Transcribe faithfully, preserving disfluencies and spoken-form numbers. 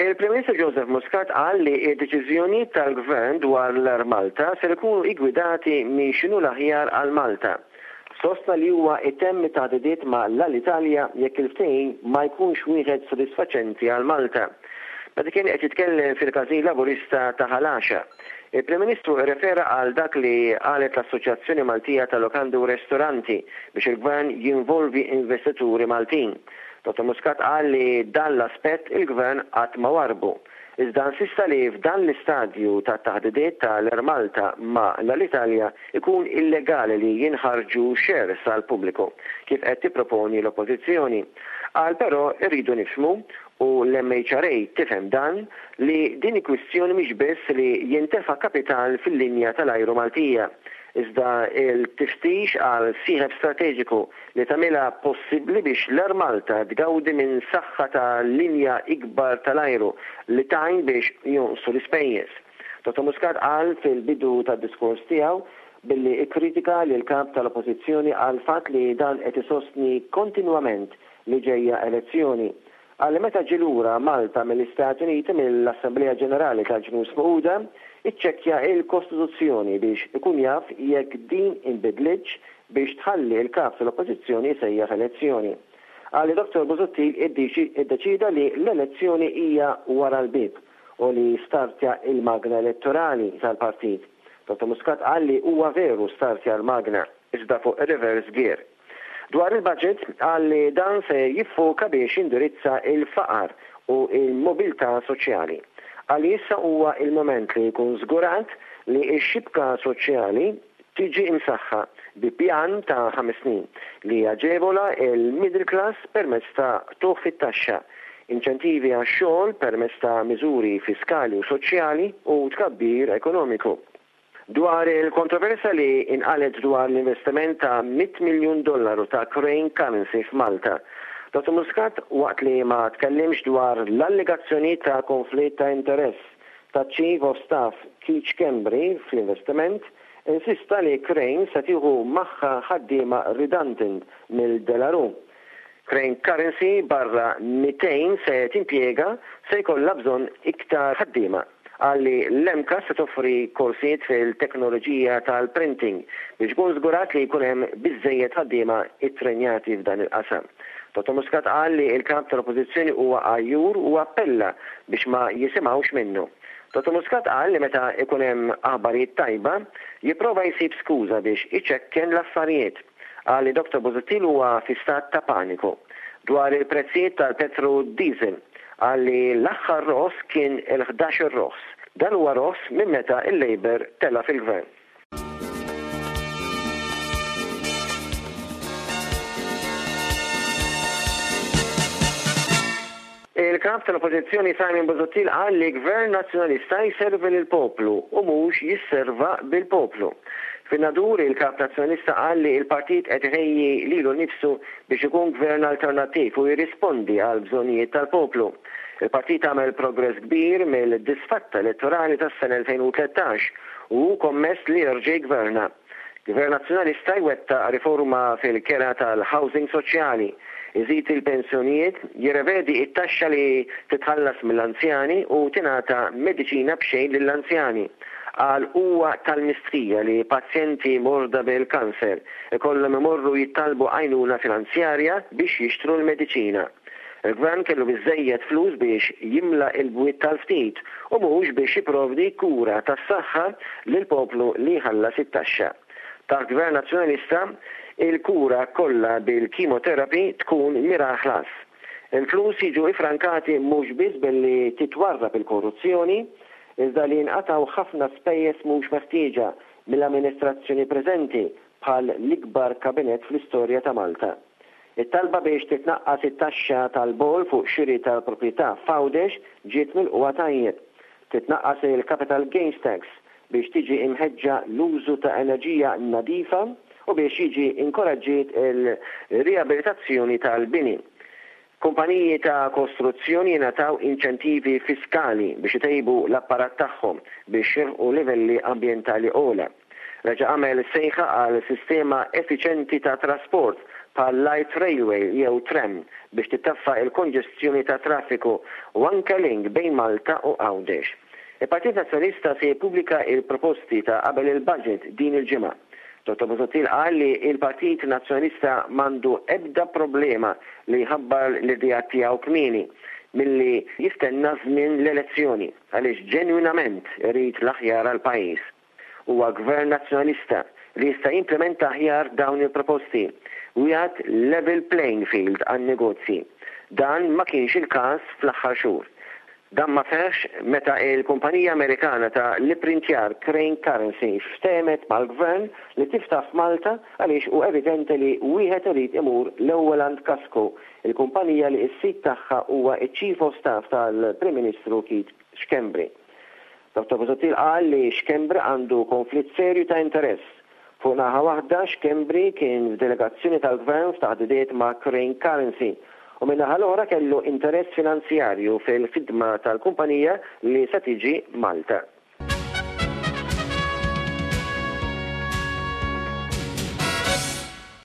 Il-Prim Ministru Joseph Muscat qal li d-deċiżjonijiet tal-Gvern dwar l-Air Malta ser ikunu iggwidati minn x'inhu l-aħjar għal Malta. Sostna li huwa itemm it-taħdidiet ma' l-Alitalia jekk il-ftehim ma jkunx wieħed sodisfaċenti għal Malta. Meta kien qed jitkellem fil-Każin Laburista ta' Ħal Għaxaq, il-Prim Ministru rrefera għal dak li qalet l-Assoċjazzjoni Maltija ta' Lokandi u Ristoranti biex il-Gvern jinvolvi investituri Maltin. Dottor Muscat qal li dan l-aspett il-Gvern qatt ma warrbu. Iżda insista li f'dan l-istadju tat-taħdidiet ta' l-Air Malta ma' l-Alitalia ikun illegali li jinħarġu shares għall-pubbliku, kif qed tipproponi l-Oppożizzjoni. Qal però irridu nifhmu, u l-M H R A tifhem dan, li din il-kwistjoni mhix biss li jintefa' kapital fil-linja tal-ajru Maltija, iżda il-tiftix għal sieħeb strateġiku li tagħmilha possibbli biex l-Air Malta tgawdi minn saħħa ta' linja ikbar tal-ajru li tgħin biex jonqsu l-ispejjeż. Dottor Muscat qal fil-bidu tad-diskors tiegħu billi ikkritika lil kap tal-Oppożizzjoni għal fatt li dan qed isostni kontinwament li ġejja elezzjoni. Qal li meta ġie lura Malta mill-Istati Uniti mill-Assemblea Ġenerali tal-Ġnus Magħquda, iċċekkja il-Kostituzzjoni biex ikun jaf jekk din inbidlitx biex tħalli l-kap tal-Oppożizzjoni jsejjaħ elezzjoni. Qal li Dottor Busuttil iddeċida li l-elezzjoni hija wara l-bieb u li startja il-magna elettorali tal-partit. Dottor Muscat qal li huwa veru startja l-magna, iżda fuq reverse gear. Dwar il-budget qal li dan se jiffoka biex jindirizza il-faqar u il-mobilità soċjali. Qal li issa huwa il-moment li jkun żgurat li x-xibka soċjali tiġi imsaħħa bi pjan ta' ħames snin li jaġevola il-middle class permezz ta' qtugħ fit-taxxa, inċentivi għax-xogħol permezz ta' miżuri fiskali u soċjali u tkabbir ekonomiku. Dwar il-kontroversja li inqalet dwar l-investiment ta' mitt miljun dollaru ta' Crane Currency f'Malta, Dottor Muscat waqt li ma tkellimx dwar l-allegazzjoni ta' konflitt ta' interess ta' Chief of Staff Keith Schembri fl-investiment, insista li Crane se tieħu magħha ħaddiema redundant mill-De La Rue. Crane Currency barra mitejn se timpjega se jkollha bżonn iktar ħaddiema. Qal li l-MCAST se toffri korsijiet fil-teknoloġija tal-printing biex ikun żgurat li jkun hemm biżżejjed ħaddiema ittrenjati f'dan il-qasam. Dottor Muscat qal li l-kap tal-Oppożizzjoni huwa għajjur u appella biex ma jisimgħux minnu. Dottor Muscat qal li meta ikun hemm aħbarijiet tajba jipprova jsib skuża biex iċekken l-affarijiet. Qal li Dottor Busuttil huwa fi stat ta' paniku. Dwar il-prezzijiet tal-petro diesel, qal li l-aħħar roħs kien il-ħdax il roħs. Dan huwa roħs minn meta il-Labour tela fil-gvern. Il-kap tal-Oppożizzjoni Simon Busuttil qal li Gvern Nazzjonalista jservi lill-poplu u mhux jisserva bil-poplu. Fin-Nadur il-kap Nazzjonalista qal li l-partit qed iħejji lilu nnifsu biex ikun gvern alternattiv u jirrispondi għal bżonnijiet tal-poplu. Il-partit għamel progress kbir mill-disfatta elettorali tas-sena elfejn u tlettax u hu kommess li jerġa' jgverna. Gvern Nazzjonalista jwettaq riforma fil-kera tal-housing soċjali, iżid il-pensjonijiet, jirrevedi it-taxxa li titħallas mill-anzjani u tingħata mediċina b'xejn lill-anzjani. Qal huwa tal-mistħija li pazjenti morda bil-kanser ikollhom imorru jittalbu għajnuna finanzjarja biex jixtru l-mediċina. Il-gvern kellu biżżejjed flus biex jimla il-bwiet tal-ftit u mhux biex jipprovdi kura tas-saħħa lill-poplu li jħallas it-taxxa. Taħt Gvern Nazzjonalista, il-kura kollha bil-kimoterapi tkun mira ħlas. Il-flus jiġu ifrankati mhux biss billi titwarrab il-korruzzjoni, iżda li jinqatgħu ħafna spejjeż mhux meħtieġa mill-amministrazzjoni preżenti bħal l-ikbar kabinett fl-istorja ta' Malta. It-talba biex titnaqqas it-taxxa tal-bol fuq xiri tal-proprjetà f'Għawdex ġiet milqugħa tajjeb. Titnaqqas il-capital gains tax biex tiġi imħeġġa l-użu ta' enerġija nadifa u biex jiġi inkoraġġiet il-riabilitazzjoni tal-bini. Kumpaniji ta' kostruzzjoni jingħataw inċentivi fiskali biex itejbu l-apparat tagħhom biex jilħqu livelli ambjentali ogħla. Reġa' għamel sejħa għal sistema effiċjenti ta' trasport bħal light railway jew tram biex titaffa il-konġestjoni ta' traffiku u anke link bejn Malta u Għawdex. Il-Partit Nazzjonalista se jippubblika il-proposti ta' qabel il-budget din il-ġimgħa. Dottor Busuttil qal li il-Partit Nazzjonalista m'għandu ebda problema li jħabbar l-idea tiegħu kmieni milli jistenna żmien l-elezzjoni għaliex ġenwinament irid l-aħjar għall-pajjiż. Huwa gvern nazzjonalista li jista' jimplementa aħjar dawn il-proposti u jagħti level playing field għan-negozji. Dan ma kienx il-każ fl-aħħar xhur. Dan ma seħħx meta il-kumpanija Amerikana ta' l-ipprintjar Crane Currency ftehmet mal-gvern li tiftaħ f'Malta għaliex hu evidenti li wieħed irid imur l-ewwel għand Kasco, il-kumpanija li s-sid tagħha huwa iċ-Chief of Staff tal-Prim Ministru Keith Schembri. Dottor Busuttil qal li Schembri għandu konflitt serju ta' interess. Fuq naħa waħda, Schembri kien f'delegazzjoni tal-gvern f'taħdidiet ma' Crane Currency u min-naħa l-oħra kellu interess finanzjarju fil-ħidma tal-kumpanija li se tiġi Malta.